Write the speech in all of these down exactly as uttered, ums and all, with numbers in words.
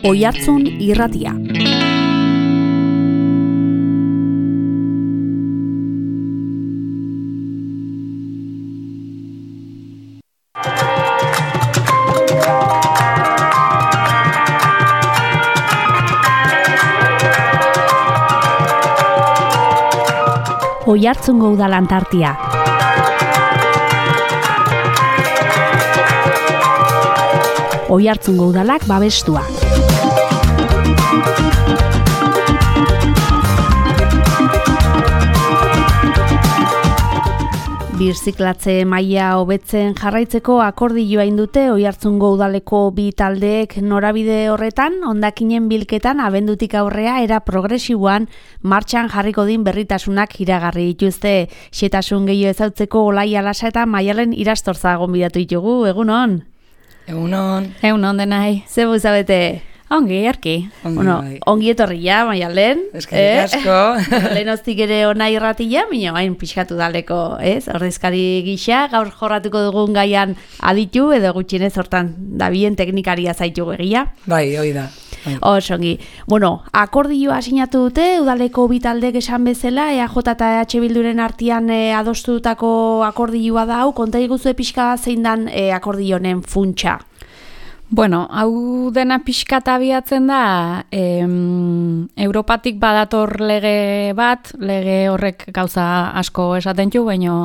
Oihartzun irratia. Oihartzungo udalan tartia. Oihartzungo udalak babestua. Birziklatze maila hobetzen jarraitzeko akordioa indute Oihartzungo udaleko bi taldeek norabide horretan hondakinen bilketan abendutik aurrea era progresiboan martxan jarriko din berritasunak iragarri dituzte. Xetasun gehiago ezautzeko Olaia Lasa eta Maialen Irastorza gonbidatu ditugu. Egunon. Egunon. Egunon denai. Ze buzabete? Ongi, erki. Ongi, bueno, bai. ongi etorri ja, Maialen. Eskerrik asko. Lehen hoztik ere ona irratila, mina hain pixkatu daleko, ez? Ordezkari gisa, gaur jorratuko dugun gaian aditu, edo gutxienez hortan dabien teknikaria zaitu egia. Bai, hoi da. Bai. Osongi. Bueno, akordioa sinatu dute, udaleko bi taldek esan bezala, E A J eta E H Bilduren artean e, adostutako akordioa da hau, konta iguzu pixka zein dan e, akordionen funtsa. Bueno, hau dena pixkata abiatzen da, em, Europatik badator lege bat, lege horrek gauza asko esaten du, baina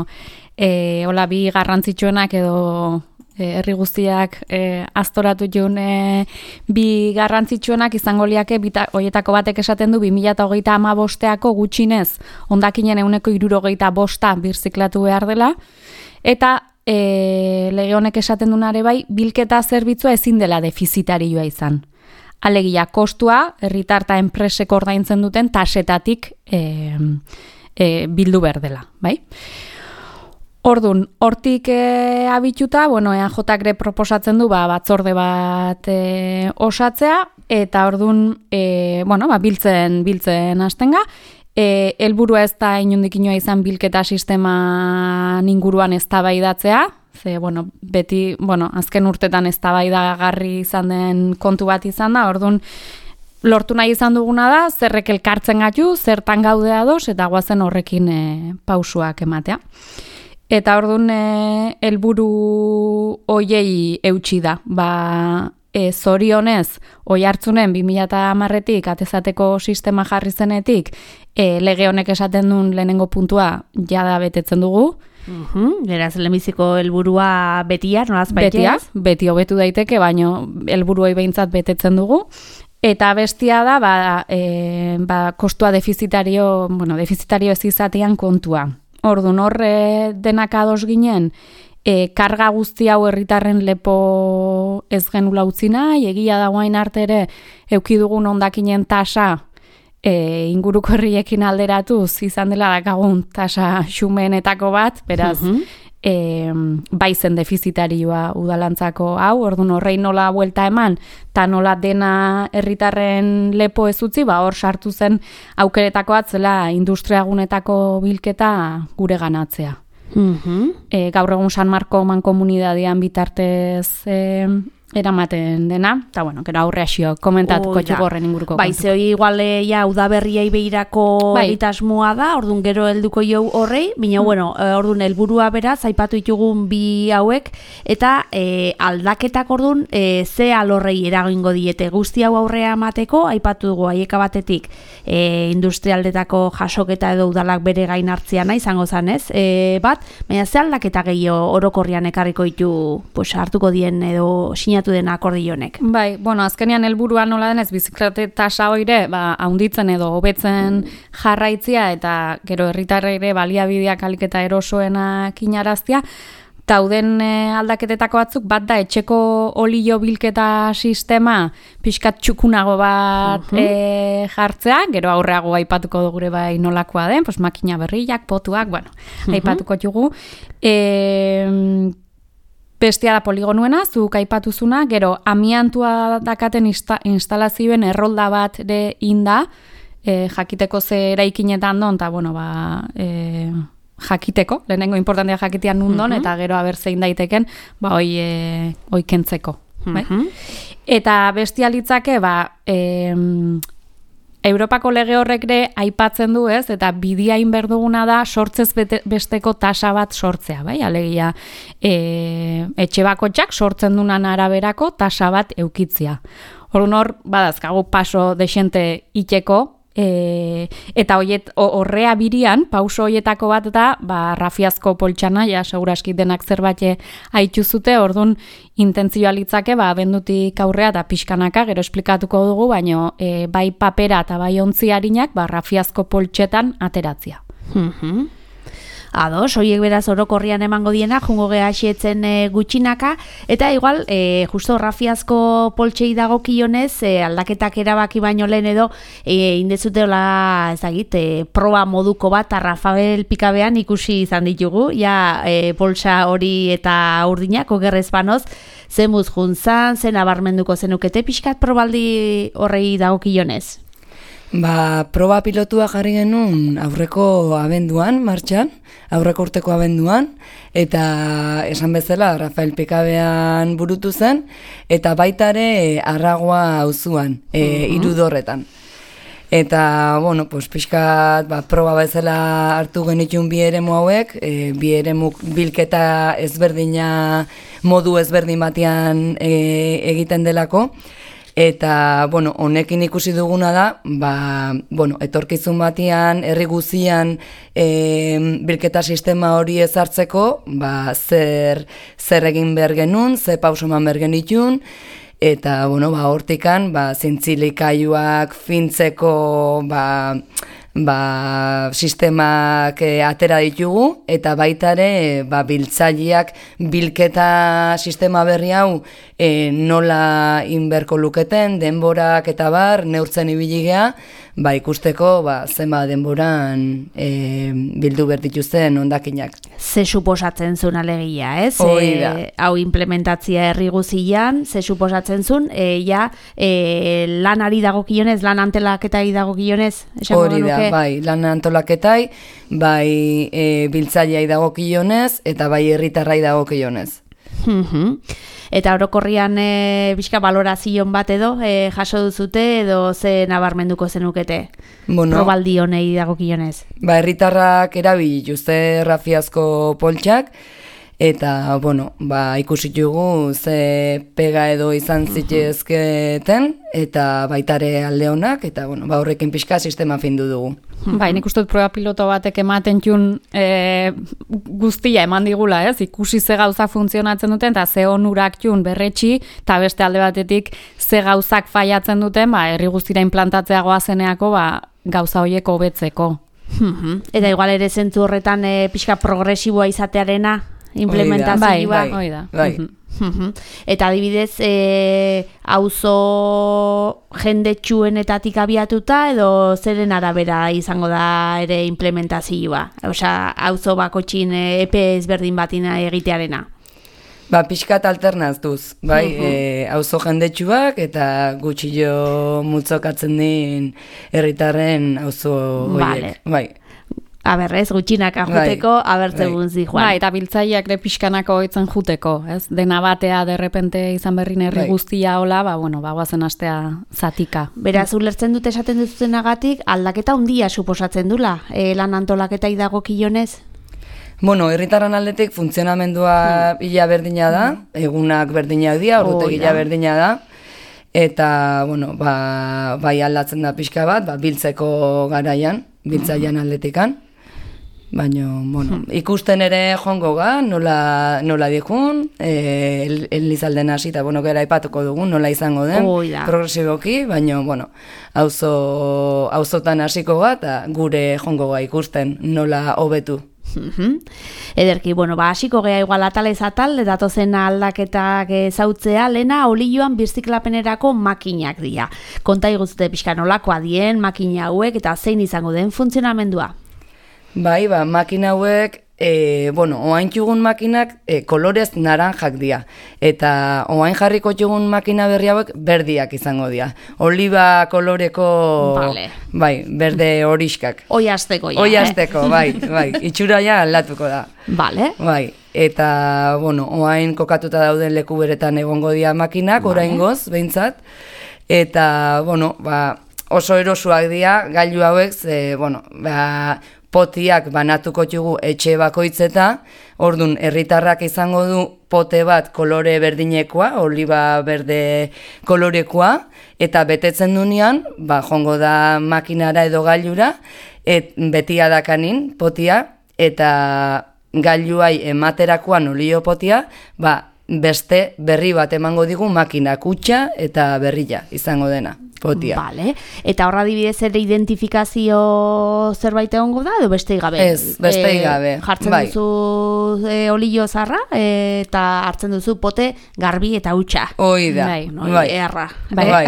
e, hola bi garrantzitsuenak edo e, herri guztiak e, aztoratu jun e, bi garrantzitsuenak izango liake, horietako batek esaten du bi mila hogeita hamabosteako gutxinez, hondakinen ehuneko hirurogeita bosta birziklatu behar dela, eta E, lege honek esaten dunare bai, bilketa zerbitzua ezin dela defizitarioa izan. Alegia, kostua, herritar eta enpresek ordaintzen duten tasetatik e, e, bildu behar dela, bai? Ordun, hortik e, abituta, bueno, E A J-re proposatzen du ba, batzorde bat e, osatzea, eta ordun, e, bueno, ba, biltzen, biltzen hastenga, E, helburua ez da inondik inoa izan bilketa sistema inguruan eztabaidatzea, ze, bueno, beti, bueno, azken urtetan eztabaidagarri izan den kontu bat izan da, orduan, lortu nahi izan duguna da, zerrek elkartzen gatu, zertan gaude ados, eta guazen horrekin e, pausuak ematea. Eta orduan, e, helburu hoiei eutsi da, ba, E, zorionez, Oihartzunen bi mila hamarretik atezateko sistema jarri zenetik, e, lege honek esaten duen lehenengo puntua jada betetzen dugu. Uhum, Geraz, lehenbiziko helburua betia, nolaz baitez? Betia, beti hobetu daiteke, baino helburuei behintzat betetzen dugu. Eta bestia da, ba, e, ba, kostua defizitario, bueno, defizitario ez izatean kontua. Orduan, horre denak ados ginen, E, karga guzti hau herritarren lepo ez genula utzi nahi, egia dagoain arte ere eduki dugun hondakinen tasa e, inguruko herriekin alderatuz izan dela dakagun tasa xumeenetako bat, beraz, uh-huh. e, bai zen defizitarioa udalantzako hau, orduan horrei nola buelta eman, eta nola dena herritarren lepo ez utzi, ba hor sartu zen aukeretako atzela industriagunetako bilketa gure ganatzea. Uh-huh. E, gaur egun San Marko mankomunidadean bitartez e, eramaten dena, eta bueno, gero aurre asio komentatuko oh, txugorren inguruko bai, kontu. Bai, zehoi iguale ja udaberriai behirako bai. Egitasmoa da, orduan gero helduko jau horrei, bina mm. bueno, orduan helburua beraz, aipatu ditugun bi hauek, eta e, aldaketak orduan e, ze alorrei eragingo diete guzti hau aurrea emateko, aipatu dugu haieka batetik e, industrialdetako jasoketa edo udalak bere gain hartzia nahi, izango zanez, e, bat, baina ze aldaketa gehiago orokorrian ekarriko ditu pues, hartuko dien edo sinatu den akordionek. Bai, bueno, azkenean helburua nola denez biziklete tasa hoire, ba, haunditzen edo hobetzen jarraitzia eta gero herritarrei ere baliabideak alik eta erosoenak inaraztia. Tauden e, aldaketetako batzuk bat da etxeko olio bilketa sistema pixkat txukunago bat uh-huh. e, jartzea, gero aurreago aipatuko dugure bai nolakoa den, pues makina berriak, potuak, bueno, uh-huh. aipatuko dugu. E, Bestia da poligonuena, zuk aipatuzuna, gero amiantua dakaten insta, instalazioen errolda bat ere inda, e, jakiteko ze eraikinetan don, eta bueno, ba, e, jakiteko, lehenengo importantea jakitean nundon, uh-huh. eta gero aber zein daiteken, ba, hoi, e, hoi kentzeko. Bai? Uh-huh. Eta bestia litzake, ba, e, Europako lege horrek ere aipatzen du, ez, eta bidiain berduguna da sortzez bete, besteko tasa bat sortzea, bai, alegia e, etxe bakotxak sortzen dunan araberako tasa bat eukitzia. Orduan hor, badazkagu paso desente iteko, E, eta hoiet, horrea birian, pauso hoietako bat da, ba, rafiazko poltsana, ja, seguraski denak zerbait haitxu zute, orduan intentzioa litzake, ba, abendutik aurrea da pixkanaka, gero esplikatuko dugu, baino e, bai papera eta bai ontzi harinak, ba, rafiazko poltsetan ateratzia. Mhm. Ados, hoiek beraz orokorrian emango diena, jungo geha xietzen e, gutxinaka, eta igual, e, justo rafiazko poltsei dagokionez, e, aldaketak erabaki baino lehen edo, e, indezuteola, ezagit, e, proba moduko bat, Rafael Pikabean ikusi izan ditugu, ja, e, poltsa hori eta urdinak, ogerrez banoz, zen buz juntzan, zen abarmenduko zenukete, pixkat probaldi horrei dagokionez? Ba, proba pilotua jarri genuen aurreko abenduan, martxan, aurreko urteko abenduan, eta esan bezala Rafael Pikabean burutu zen, eta baitare Arragoa auzuan, e, uh-huh. Irudorretan. Eta, bueno, pues, pixkat, ba, proba bezala hartu genitun bi eremu hauek, e, bi eremu bilketa ezberdina, modu ezberdin batean e, egiten delako, eta, bueno, honekin ikusi duguna da, ba, bueno, etorkizun batean, herri guzian e, bilketa sistema hori ezartzeko, ba, zer, zer egin behar genuen, ze pausoman behar genitun, eta, bueno, ba, hortikan, ba, zintzilikaiuak fintzeko, ba, ba, sistemak e, atera ditugu, eta baitare ba, biltzaileak bilketa sistema berri hau e, nola inberko luketen, denborak eta bar, neurtzen ibili gea, ba, ikusteko ba, zenba denboran e, bildu berdituzten hondakinak. Ze suposatzen zuen alegia, ez? Hori da. E, hau implementatzia herri guzian, ze suposatzen zuen, e, ja, e, lanari dagokionez, lan antolaketai dagokionez? Hori da, bai, lan antolaketai, bai e, biltzaileai dagokionez, eta bai herritarrai dagokionez. Eta orokorrian e, bizka balorazion bat edo e, jaso duzute edo ze nabarmenduko zenukete? Bueno, probaldi honei dagokionez. Ba, herritarrak erabili dituzte rafiazko poltsak, eta, bueno, ba, ikusitugu ze pega edo izan zitezketen, eta baitare alde honak, eta, bueno, ba, horrekin pixka sistema findu dugu. Bai, nik uste dut proba piloto batek ematen txun e, guztia eman digula, ez? Ikusi ze gauza funtzionatzen duten, eta ze onurak txun berretxi, eta beste alde batetik ze gauzak faiatzen duten, ba, herri guztira implantatzea goazeneako, ba, gauza horiek hobetzeko. Eta igual ere zentzu horretan e, pixka progresiboa izatearena implementazioa. Bai, bai, bai. Eta adibidez, e, auzo jendetsuenetatik abiatuta edo zeren arabera izango da ere implementazioa? Osea, auzo bakotxin epe ezberdin batina egitearena. Ba, pixkat alternazduz, bai, uh-huh. e, auzo jendetsuak eta gutxillo multzokatzen din herritarren auzo horiek. Vale. Bai. Aberrez, gutxinak ajuteko, bai, abertzegun zi, Juan. Bai, eta biltzaileak ere pixkanako oitzen juteko, ez? Dena batea derrepente izan berrin herri bai. Guztia hola, ba, bueno, ba, guazen astea zatika. Beraz, ulertzen dute esaten duzutenagatik, aldaketa handia suposatzen dula, e, lan antolaketa idagokionez? Bueno, herritarran aldetik funtzionamendua hmm. ila berdina da, egunak berdinak dira, ordutegila berdina da, eta, bueno, ba, bai aldatzen da pixka bat, ba, biltzeko garaian, biltzailean aldetikan. Baina, bueno, ikusten ere joango ga, nola, nola dikun, e, elizalden hasi, eta, bueno, gera aipatuko dugun, nola izango den, progresiboki, baina, bueno, auzo, auzotan hasiko ga, eta gure joango ga ikusten nola hobetu. Ederki, bueno, ba, hasiko gea igual atal ez atal, datozen aldaketak zautzea, lena olioan birziklapenerako makinak dira. Konta iguzte pixka nolakoa dien, makina hauek, eta zein izango den funtzionamendua? Bai, ba, makina hauek, e, bueno, oain txugun makinak e, kolorez naranjak dira. Eta oain jarriko txugun makina berri hauek berdiak izango dira. Oliba koloreko, vale. Bai, berde horiskak. Oi asteko, ja. Oi asteko, eh? bai, bai. Itxura ja aldatuko da. Vale. Bai. eta, bueno, oain kokatuta dauden leku beretan egongo dira makinak, oraingoz, behintzat, eta, bueno, ba, oso erosuak dira, gailu hauek, ze, bueno, ba, potiak banatuko txugu etxe bakoitzeta, ordun herritarrak izango du pote bat kolore berdinekoa, oliba berde kolorekoa, eta betetzen dunean, ba, jongo da makinara edo gailura, et, betia dakanin potia, eta gailuai ematerakoan olio potia, ba, beste berri bat emango digu makina kutxa eta berria izango dena. Potia. Vale. Eta horra dibidez ere identifikazio zerbait egongo da, edo bestei gabe? Ez, bestei gabe. E, jartzen bai. duzu e, olio zarra, e, eta hartzen duzu pote garbi eta hutsa. Hoi da. Bai, no, bai. Erra. Bai, bai.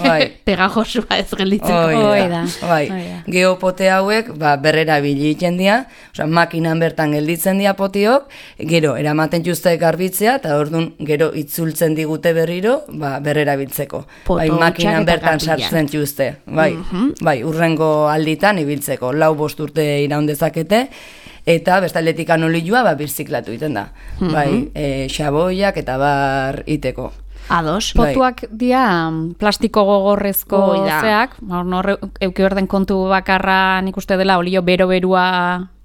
bai. Pegajosua ez gelditzeko. Hoi da. Bai. Geopote hauek, ba, berrera biliten dira, osea, makinan bertan gelditzen dira potiok, gero, eramaten juzte garbitzea, eta orduan, gero, itzultzen digute berriro, ba, berrera biltzeko. Bai, makinan bertan sartzen txuzte, bai, mm-hmm. bai, urrengo alditan ibiltzeko, lau bost urte iraun dezakete, eta bestaletikan olioa ba, birziklatu iten da, mm-hmm. bai, e, xaboiak eta bar iteko. Ados. Potuak bai. Dia plastiko gogorrezko zeak, hor euki berden kontu bakarra nik uste dela olio bero-berua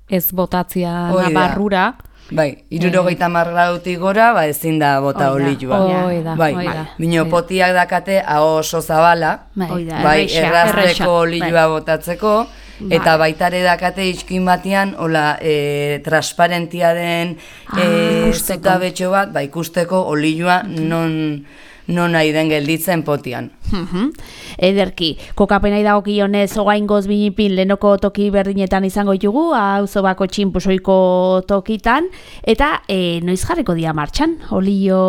ez botatzia barrura. Bai, irurogeita marrautik gora, ba, ezin da bota olioa. Oida, bai, oida. Bino potiak dakate aho oso zabala, bai, errazteko olioa botatzeko, eta baitare dakate iskin batean, hola, e, transparentia den e, zutabetxo bat, ba, ikusteko olioa non... non nahi den gelditzen potian. Uh-huh. Ederki, kokapenai dagokionez ogaingoz binipin lehenoko toki berdinetan izango ditugu, auzo bako txinpusoiko tokitan, eta e, noiz jarriko dia martxan, olio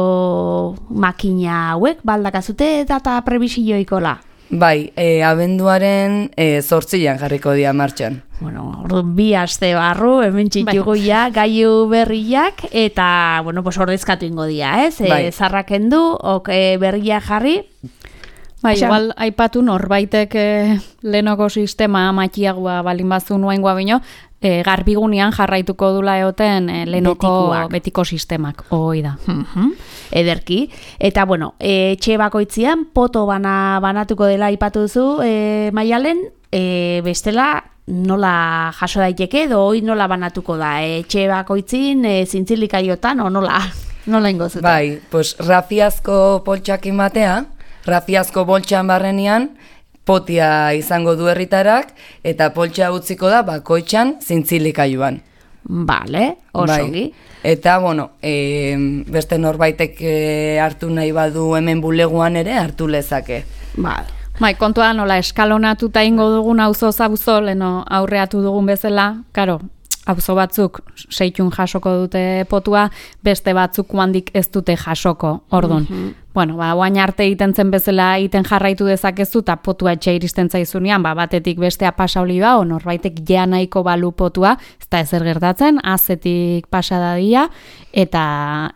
makina hauek, baldakazute data prebisioikola? Bai, e, abenduaren e, zortzian jarriko dia martxan. Bueno, orduan bi aste barru, hemen txitugu ja, gaiu berriak, eta, bueno, pues ordezkatu ingo dia, ez? Bai. E, zarraken du, ok, berria jarri. Bai, igual, aipatu norbaitek eh, lehenoko sistema makiagoa balin bazu nuaingoa bino, eh, garbigunean jarraituko dula eoten eh, lehenoko Betikuak. betiko sistemak, hoi da. Uh-huh. Ederki. Eta, bueno, e, etxe bakoitzian, poto bana, banatuko dela aipatu duzu, e, Maialen, e, bestela, nola jaso daiteke, edo hoi nola banatuko da, etxe bakoitzin, e, zintzilikaiotan, o nola, nola ingo zuten? Bai, pues rafiazko poltsakin batea, rafiazko boltxan barrenian, potia izango du herritarak, eta poltsa utziko da bakoitxan zintzilikaioan. Vale, osongi. Bai. Eta, bueno, e, beste norbaitek e, hartu nahi badu hemen buleguan ere hartu lezake. Vale. Bai, kontua nola eskalonatuta ingo dugun auzo zabuzo, leno aurreatu dugun bezala, karo, auzo batzuk seitun jasoko dute potua, beste batzuk handik ez dute jasoko, ordun. Mm-hmm. Bueno, ba, oain arte egiten zen bezala egiten jarraitu dezakezu, eta potua etxe iristen zaizunean, ba, batetik bestea pasa olioa, o norbaitek jea nahiko balu potua, ez da ezer gertatzen, azetik pasa dadia, eta,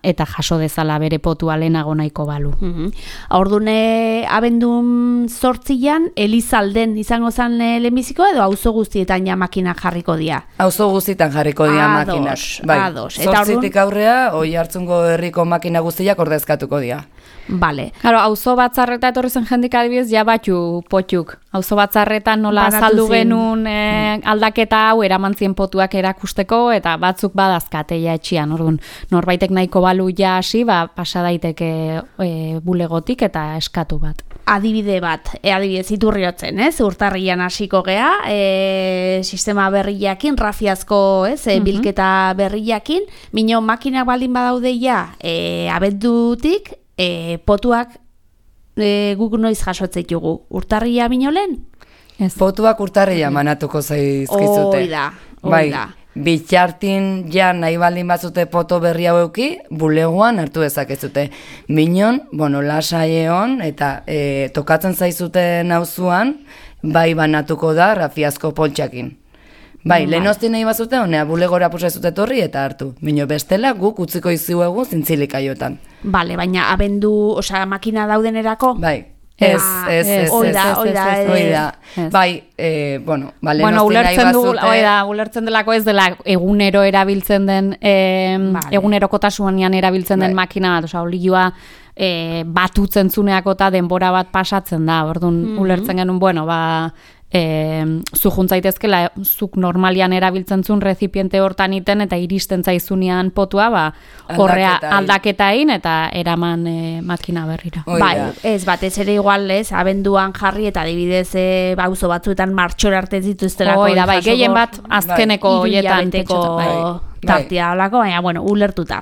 eta jaso dezala bere potua lehenago nahiko balu. Mm-hmm. Ordune abendun zortzian, Elizalden izango zen lehenbiziko, edo auzo guztietan ja makina jarriko dia? Auzo guztietan jarriko dia makinak. Bai, zortzitik aurrea, oi hartzungo herriko makina guztiak ordezkatuko dia. Vale. Claro, auzo batzarreta etorri zen jendik adibidez ja batxu potuk. Auzo batzarretan nola azaldu genuen e, aldaketa hau eramantzien potuak erakusteko eta batzuk badazkate ja etxian. Orduan, norbaitek nahiko balu ja hasi, ba pasa daiteke e, bulegotik eta eskatu bat. Adibide bat, e, adibidez iturriotzen, ez? Urtarrian hasiko gea, e, sistema berriakin, rafiazko, ez? E, Mhm. bilketa berriakin, mino makinak baldin badaude ja, e, abendutik, E, potuak e, guk noiz jasotzeitugu. Urtarria minolen? Ez. Potuak urtarria manatuko zaizkizute. Hoi da, hoi bai, da. bitxartin ja nahi baldin batzute poto berri haueki, buleguan hartu dezakezute. Minon, bueno, lasaieon eta e, tokatzen zaizuten auzuan, bai banatuko da rafiazko poltsakin. Bai, lehenozti nahi bazute, honea bulegora pusa zute torri eta hartu. Bino bestela guk utziko izuegu zintzilikaiotan. Bale, baina abendu, osea, makina daudenerako? Bai, Ez, ez, ez, oida, oida, oida. Bai, eh, bueno, bale, bueno, ulertzen du, oida, ulertzen delako ez dela egunero erabiltzen den, eh, vale. egunerokotasunean erabiltzen den bai. makina bat, osea, olioa eh, batutzen zuneako eta denbora bat pasatzen da, orduan mm-hmm. ulertzen genuen, bueno, ba, E, zu juntzaitezkela, zuk normalian erabiltzen zuen rezipiente hortan iten eta iristen zaizunean potua, ba, horrea aldaketa egin eta eraman e, makina berrira. Bai, ez batez ere igual, ez, abenduan jarri eta adibidez e, bauzo batzuetan martxor arte zituztelako. Oida, bai, gehien bat azkeneko bai. hoietan tartia olako, baina, bueno, ulertuta.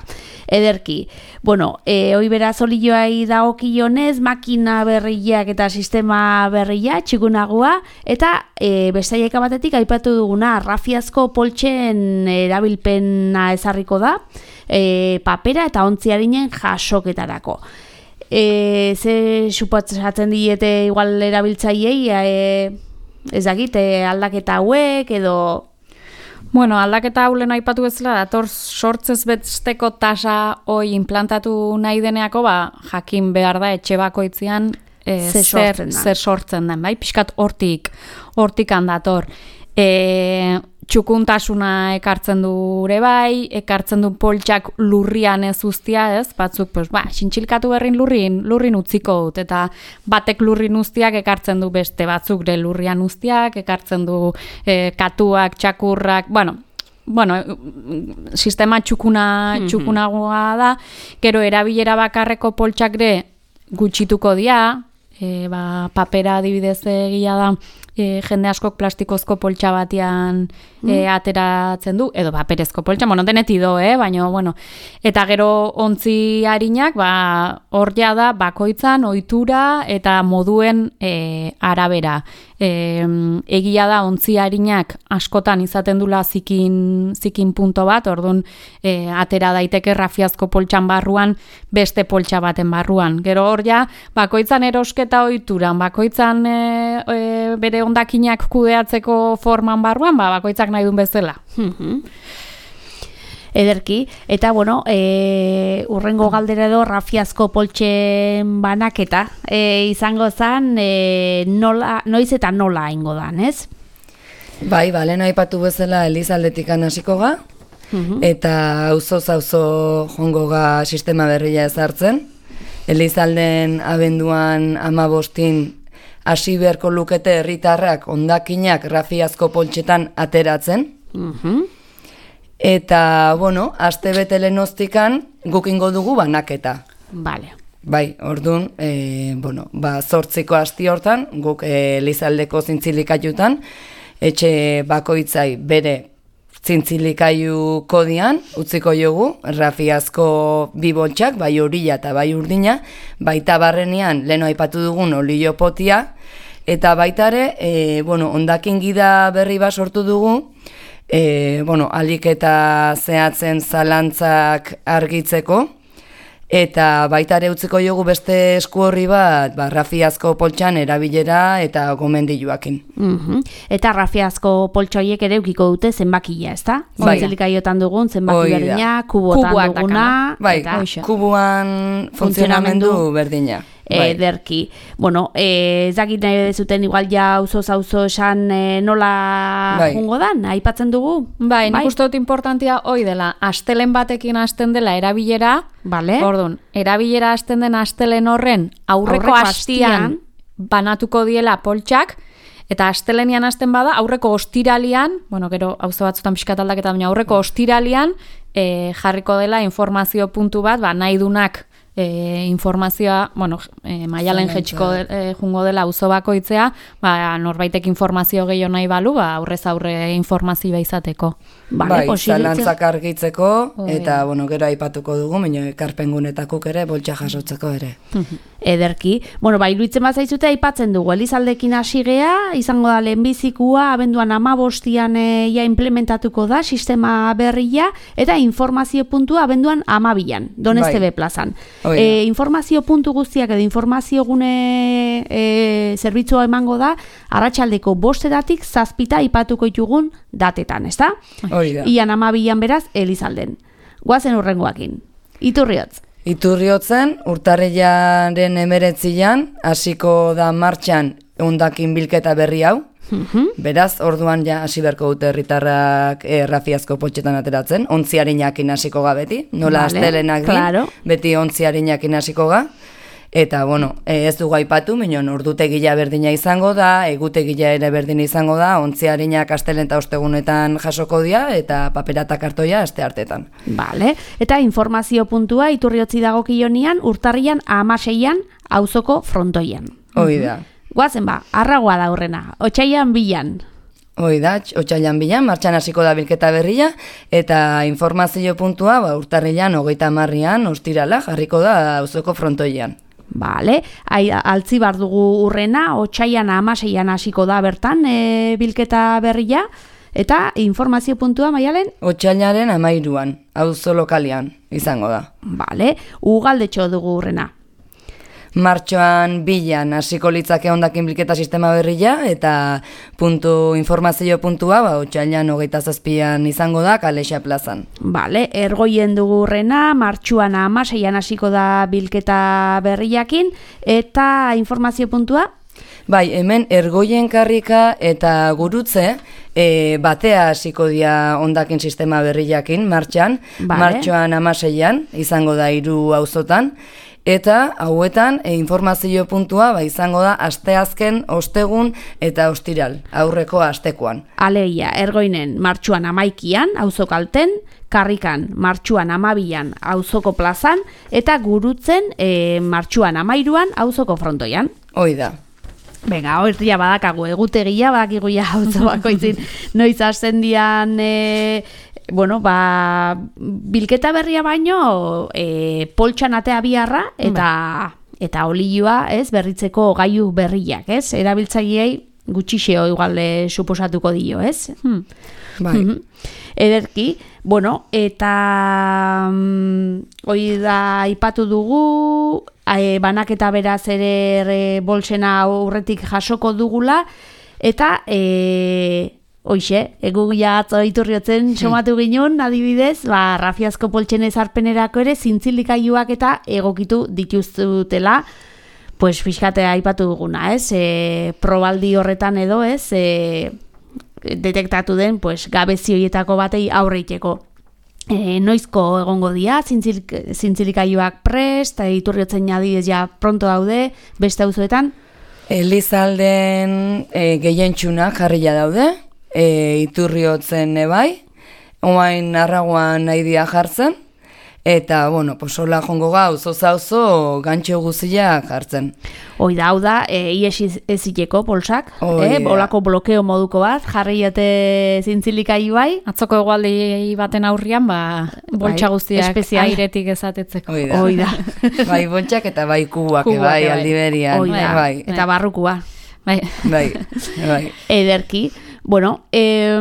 Ederki. Bueno, e, hoi beraz olioai dagokionez, makina berriak eta sistema berria, txikunagua, eta e, bestaieka batetik aipatu duguna, rafiazko poltsen erabilpena ezarriko da, e, papera eta ontziarinen jasoketarako. E, ze supatzatzen diete igual erabiltzaiei, e, ez dakit, e, aldaketa hauek, edo... Bueno, aldaketa haulen aipatu bezala, dator sortzez besteko tasa hoi implantatu nahi deneako, ba, jakin behar da etxe bakoitzean e, zer, sortzen zer sortzen den, bai? Pixkat hortik, hortik handator. E, txukuntasuna ekartzen du ere bai, ekartzen du poltsak lurrian ez uztia, ez? Batzuk, pues, ba, xintxilkatu berrin lurrin, lurrin utziko dut, eta batek lurrin uztiak ekartzen du beste, batzuk de lurrian uztiak, ekartzen du e, katuak, txakurrak, bueno, bueno, sistema txukuna, mm-hmm. txukunagoa da, gero erabilera bakarreko poltsak de gutxituko dia, e, ba, papera adibidez egia da, E, jende askok plastikozko poltsa batean e, ateratzen du, edo paperezko poltsa, bueno, deneti do, eh? Baina, bueno, eta gero ontzi harinak, ba, hor ja da, bakoitzan, ohitura eta moduen e, arabera. E, egia da, ontzi harinak askotan izaten dula zikin, zikin punto bat, orduan e, atera daiteke rafiazko poltsan barruan, beste poltsa baten barruan. Gero hor ja, bakoitzan erosketa ohituran, bakoitzan e, e, bere ondakinak kudeatzeko forman barruan, ba, bakoitzak nahi duen bezala. Ederki, eta bueno, e, urrengo galdera edo rafiazko poltsen banaketa e, izango zen, e, nola, noiz eta nola ingo dan, ez? Bai, bale, nahi patu bezala Elizaldetik hasiko ga, uh-huh. eta auzoz auzo jongo ga sistema berria ezartzen. Elizalden abenduan amabostin hasi beharko lukete herritarrak hondakinak rafiazko poltsetan ateratzen. Uh-huh. Eta, bueno, aste bete lehenoztikan gukingo dugu banaketa. Vale. Bai, orduan, e, bueno, ba, zortziko asti hortan, guk e, Elizaldeko zintzilikaiutan, etxe bakoitzai bere zintzilikaiu kodian, utziko jogu, rafiazko bi boltsak, bai horila eta bai urdina, baita barrenean, leno aipatu dugun olio potia, eta baitare, e, bueno, ondakin gida berri bat sortu dugu, e, bueno, alik eta zehatzen zalantzak argitzeko, eta baitare utziko jogu beste esku horri bat, ba, rafiazko poltsan erabilera eta gomendiluakin. Mm-hmm. Eta rafiazko poltsoiek ere ukiko dute zenbakia, ezta? Bai. Zentzilikaiotan dugun, zenbaki berdina, kubotan duguna. Bai, eta, kubuan funtzionamendu berdina. Bai. Ederki. Bueno, eh, ez dakit nahi dezuten igual ja auzo-auzo esan eh, nola bai. jungo dan, aipatzen dugu? Bai, nik bai? uste dut importantia hoi dela, astelen batekin hasten dela erabilera, vale. Orduan, erabilera hasten den astelen horren aurreko, aurreko astian banatuko diela poltsak, eta astelenian hasten bada, aurreko ostiralian, bueno, gero auzo batzutan pixkat aldaketa, baina aurreko ostiralian eh, jarriko dela informazio puntu bat, ba, nahi dunak E, informazioa, bueno, e, maialen jetxiko e, jungo dela auzo bakoitzea, ba, norbaitek informazio gehiago nahi balu, ba, aurrez aurre informazioa izateko. Vale, bai, zalantzak argitzeko, eta, bueno, gero aipatuko dugu, baina ekarpengunetakuk ere, boltsa jasotzeko ere. Ederki. Bueno, ba, iruditzen bat zaizute aipatzen dugu, Elizaldekin hasi gea, izango da lehenbizikua, abenduan amabostian e, ja implementatuko da, sistema berria, eta informazio puntua abenduan amabian, Donez T V plazan. E, informazio puntu guztiak edo informazio gune e, zerbitzua emango da, arratsaldeko bostetatik zazpita ipatuko ditugun datetan, ezta? Hori da. Ian amabian beraz, Elizalden. Guazen urrengoakin. Iturriotz. Iturriotzen, urtarrilaren emeretzian, hasiko da martxan hondakin bilketa berri hau. Beraz, orduan ja hasi beharko dute herritarrak e, rafiazko potxetan ateratzen, ontziarinakin hasiko ga beti, nola vale, astelenak din, claro. Beti ontziarinakin hasiko ga. Eta, bueno, ez dugu aipatu, minon ordutegia berdina izango da, egutegia ere berdina izango da, ontziarinak astelen eta ostegunetan jasoko dira, eta paperata kartoia aste hartetan. Vale. Eta informazio puntua Iturriotzi dagokionean, urtarrian hamaseian auzoko frontoian. Hoi da. Guazen ba, arragoa da horrena, otsailan bilan. Hoi da, otsailan bilan, martxan hasiko da bilketa berria, eta informazio puntua ba, urtarrilan hogeita hamarrean ostirala jarriko da auzoko frontoian. Vale, Ai, altzi bar dugu urrena, otsailan hamaseian hasiko da bertan e, bilketa berria, eta informazio puntua Maialen? Otsailaren hamairuan, auzo lokalean izango da. Vale, ugaldetxo dugu urrena. Martxoan bilan hasiko litzake hondakin bilketa sistema berria, eta puntu informazio puntua, ba, otsailan hogeita zazpian izango da Kalexa plazan. Vale, ergoien dugu urrena, martxuan hamaseian hasiko da bilketa berriakin, eta informazio puntua? Bai, hemen ergoien karrika eta gurutze e, batea hasiko dira hondakin sistema berriakin, martxan, vale. Martxoan hamaseian izango da hiru auzotan. Eta hauetan e, informazio puntua ba, izango da asteazken, ostegun eta ostiral, aurreko astekoan. Aleia, ergoinen martxuan amaikian, auzokalten, karrikan martxuan amabian, auzoko plazan, eta gurutzen e, martxuan amairuan, auzoko frontoian. Hoi da. Venga, hortia badakagu, egutegia badakigu ja auzo bakoitzin, noiz hasten dian... E, Bueno, ba, bilketa berria baino e, poltsan atea biharra eta, eta olioa, ez, berritzeko gailu berriak, ez? Erabiltzaileei gutxixeo igual suposatuko dio, ez? Hmm. Bai. Mm-hmm. Ederki, bueno, eta mm, hoi da ipatu dugu, e, banaketa beraz ere e, bolsena aurretik jasoko dugula, eta... E, Hoixe, egugia atzo Iturriotzen somatu ginen, adibidez, ba, rafiazko poltsen ezarpenerako ere zintzilikailuak eta egokitu dituztutela, pues fiskatea aipatu duguna, ez? E, probaldi horretan edo, ez? E, detektatu den, pues, gabezioietako batei aurreiteko. E, noizko egongo dia, zintzilik, zintzilikailuak prest, Iturriotzen adibidez ja pronto daude, beste auzoetan? Elizalden e, gehientxunak jarria daude, E, Iturriotzen ebai, oain arraguan nahi dia jartzen, eta, bueno, posola jongo gau, zoza-ozo gantxo guzia jartzen. Hoi da, hau da, e, ies eziteko polsak, eh? Olako blokeo moduko bat, jarri jote zintzilikailu bai. Atzoko egualdi baten aurrian, ba, boltsa guztiak espezial. Airetik ezatetzeko. Hoi da. Hoi da. Bai boltsak eta bai kubuak, bai, bai, aldiberian. Hoi da, bai. Eta barrukua. Bai, bai, bai. Ederki. Bueno, eh,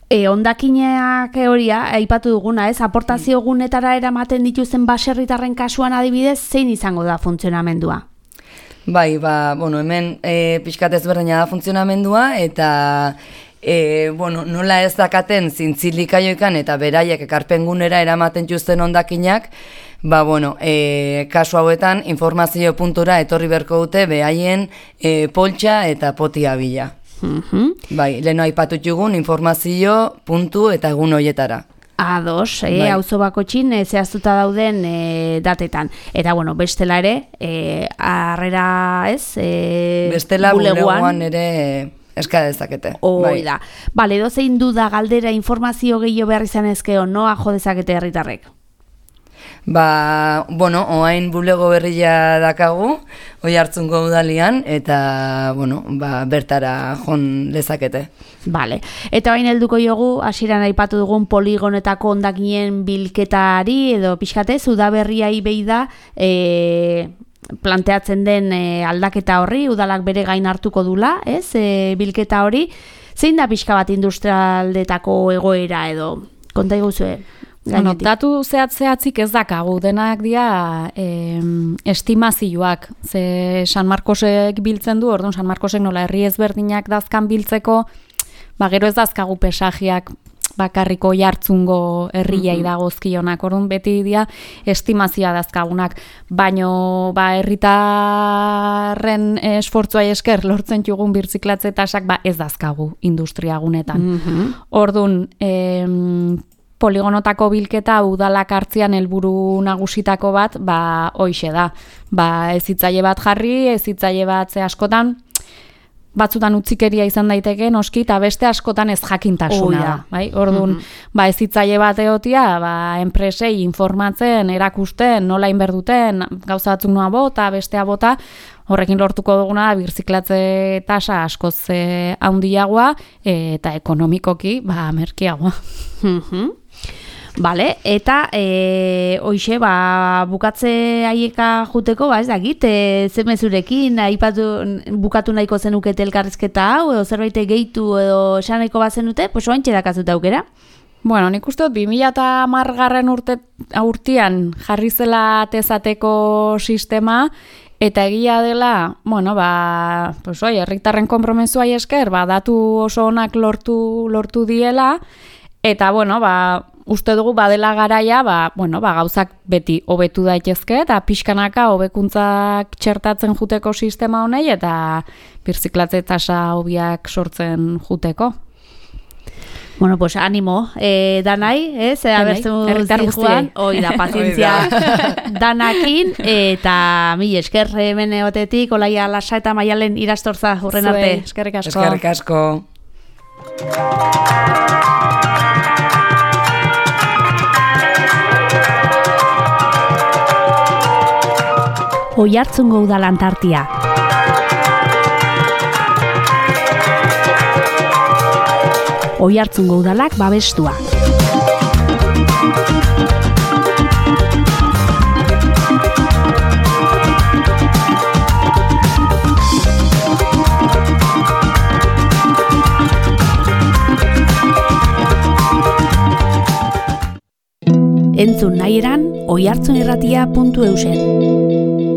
e, ondakineak horia, aipatu duguna, ez? Aportazio gunetara eramaten dituzten baserritarren kasuan adibidez, zein izango da funtzionamendua? Bai, ba, bueno, hemen e, pixkat ezberdina da funtzionamendua, eta e, bueno, nola ez dakaten zintzilikaioikan eta beraiek ekarpengunera eramaten juzten ondakinak, ba, bueno, e, kasu hauetan informazio puntura etorri berko dute behaien e, poltsa eta potia bila. Mm-hmm. Bai, leheno aipatut jugun informazio puntu eta egun hoietara. Ados, eh, bai. Auzo bakotxin e, zehaztuta dauden e, datetan. Eta, bueno, bestela ere, e, arrera ez, e, bestela buleguan ere... eska dezakete. Hoi bai. Da. Bale, dozein duda galdera informazio gehiago behar izan ezkeo, noa jo dezakete herritarrek? Ba, bueno, oain bulego berria dakagu, oi hartzungo udalian, eta, bueno, ba, bertara jon dezakete. Bale, eta bain helduko jogu, hasieran aipatu dugun poligonetako ondakinen bilketari, edo pixkatez, udaberriai behi da, e, planteatzen den e, aldaketa horri, udalak bere gain hartuko dula, ez, e, bilketa hori, zein da pixka bat industrialdetako egoera edo, konta iguzue? Bueno, datu zehatz-zehatzik ez dakagu, denak dira eh, estimazioak, ze San Marcosek biltzen du, orduan San Marcosek nola herri ezberdinak dazkan biltzeko, ba, gero ez dazkagu pesajiak bakarriko jartzungo herriai dagozkionak, orduan beti dia estimazioa dazkagunak, baino ba herritarren esfortzua esker lortzen jugun birziklatze tasak ba ez dazkagu industriagunetan. Mm-hmm. Orduan, em, poligonotako bilketa udalak hartzean helburu nagusitako bat, ba hoixe da. Ba ez hitzaile bat jarri, ez hitzaile bat ze askotan batzutan utzikeria izan daiteke noski eta beste askotan ez jakintasuna oh, da, bai? Orduan, mm-hmm. ba ez hitzaile bat egotia, ba enpresei informatzen, erakusten, nola inberduten, gauza batzuk noa bota, bestea bota, horrekin lortuko duguna da birziklatze tasa askoz eh, handiagoa eta ekonomikoki ba merkeagoa. Mhm. Vale, eta e, hoixe, ba, bukatze haieka juteko, ba, ez dakit, e, ze mezurekin, aipatu, bukatu nahiko zenukete elkarrizketa hau, edo zerbait gehitu edo esan nahiko bazenute, pues oaintxe dakazuta aukera. Bueno, nik uste dut, bi mila hamargarren urte, urtean jarri zela tezateko sistema, eta egia dela, bueno, ba, pues oi, herritarren konpromezua esker, ba, datu oso onak lortu, lortu diela, eta, bueno, ba, uste dugu badela garaia, ba, bueno, ba, gauzak beti hobetu daitezke eta pixkanaka hobekuntzak txertatzen juteko sistema honei eta birziklatze tasa hobiak sortzen juteko. Bueno, pues ánimo, eh, danai, ez, eh, abertu zijuan, oi da, pazientzia danakin, eta mi esker hemen egotetik, Olaia Lasa eta Maialen Irastorza urren arte. Eskerrik asko. Eskerrik asko. Oiartzungo udalantartia. Oiartzungo udalak babestua. Entzun nahi eran oiartzunirratia puntu eusen.